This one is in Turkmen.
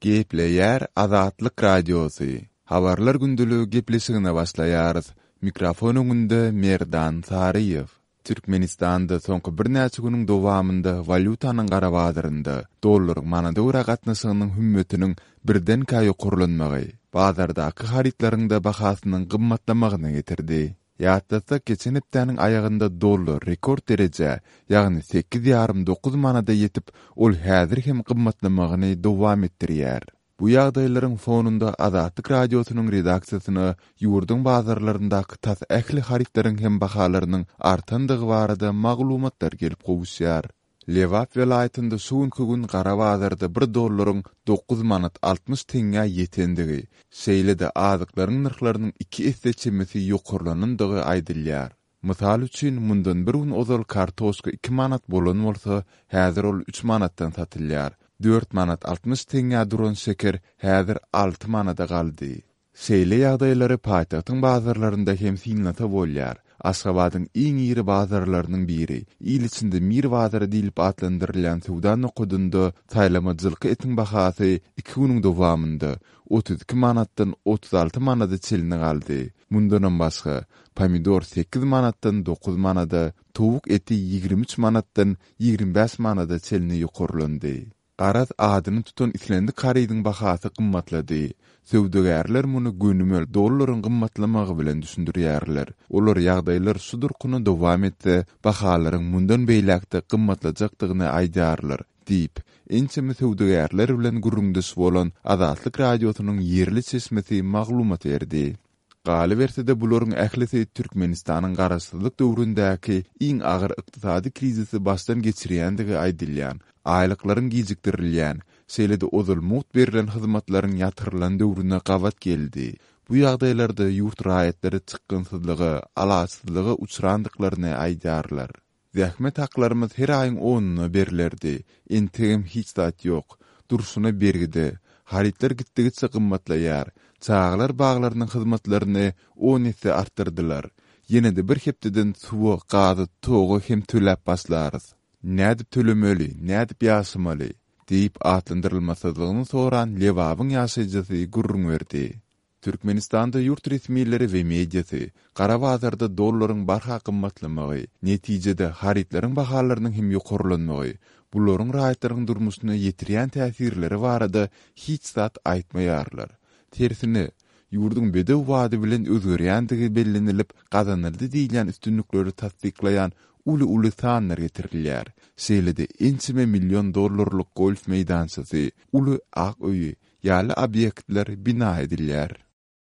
Gepleýär Azatlyk Radiosy, Habarlar gündeligi gepleşigine başlaýarys. Mikrofon öňünde Merdan Saryýew. Türkmenistanda soňky birnäçe günüň dowamynda walýutanyň gara bazarynda dollaryň manada görä gatnaşygynyň hümmetiniň birdenkä ýokarlanmagy, bazardaky harytlaryň-da bahasynyň gymmatlamagyna getirdi. Ýatlatsak, geçen hepdäniň aýagynda dollar rekord derejä, ýagny sekiz ýarym dokuz manada ýetip, ol häzir hem gymmatlamagyny dowam etdirýär. Bu ýagdaýlaryň fonunda Azatlyk Radiosynyň redaksiýasyna ýurduň bazarlaryndaky tas ähli harytlaryň hem bahalarynyň artandygy barada maglumatlar gelip gowuşýar. Lebap welaýatynda şu günki gün gara bazarda bir dollaryň dokuz manat 60 teňňä ýetendigi, şeýle-de azyklaryň nyrhlarynyň iki esse çemesi ýokarlanandygy aýdylýar. Mysal üçin, mundan bir gün ozal kartoşka iki manat bolan bolsa, häzir ol üç manatdan satylýar. Dört manat 60 teňňä duran şeker häzir alty manada galdy. Şeýle ýagdaýlary paýtagtyň bazarlarynda hem synlasa bolýar. Aşgabadyň iň iri bazarlarynyň biri, il içinde Mir bazary diýlip atlandyrylýan söwda nokadynda saýlama jylky etiň bahasy iki günüň dowamynda 32 manatdan 36 manada çenli galdy. Mundanam başga, pomidor sekiz manatdan dokuz manada, towuk eti 23 manatdan 25 manada çenli ýokarlandy. Garaz, adyny tutan islendik harydyň bahasy gymmatlady. Söwdagärler muny gönümel dollaryň gymmatlamagy bilen düşündirýärler. Olar ýagdaýlar şu durkuna dowam etse, bahalaryň mundan beýläk-de gymmatlajakdygyny aýdýarlar diýip, ençeme söwdagärler bilen gürrüňdeş bolan Azatlyk Radiosynyň ýerli çeşmesi maglumat berdi. Galyberse-de, bularyň ählisi Türkmenistanyň garaşsyzlyk döwründäki iň agyr ykdysady krizisi başdan geçirýändigi aýdylýan, aýlyklaryň gijikdirilýän, şeýle-de ozal mugt berlen hyzmatlaryň ýatyrylan döwrüne gabat geldi. Bu ýagdaýlarda ýurt raýatlary çykgynsyzlyga, alaçsyzlyga uçrandyklaryny aýdýarlar. Zähmet haklarymyz her aýyň onuna berlerdi. Entegem hiç zat ýok. Durşuna bergide. Harytlar gitdigiçe gymmatlaýar. Çagalar baglarynyň hyzmatlaryny on esse artdyrdylar. Ýene-de bir hepdeden suwa, gaza, toga hem töläp başlarys. Nädip tölemeli, nädip ýaşamaly? diýip, atlandyrylmasyzlygyny soran Lebabyň ýaşaýjysy gürrüň berdi. Türkmenistanda ýurt resmileri we mediasy gara bazarda dollaryň barha gymmatlamagy, netijede harytlaryň bahalarynyň hem ýokarlanmagy, bularyň raýatlaryň durmuşyna ýetirýän täsirleri barada hiç zat aýtmaýarlar. Tersine, ýurduň bedew bady bilen özgerýändigi bellenilip, gazanyldy diýilýän üstünlikleri tassyklaýan uly-uly sanlar getirilýär. Şeýle-de ençeme million dollarlyk golf meýdançasy, uly ak öýi, ýaly obýektler bina edilýär.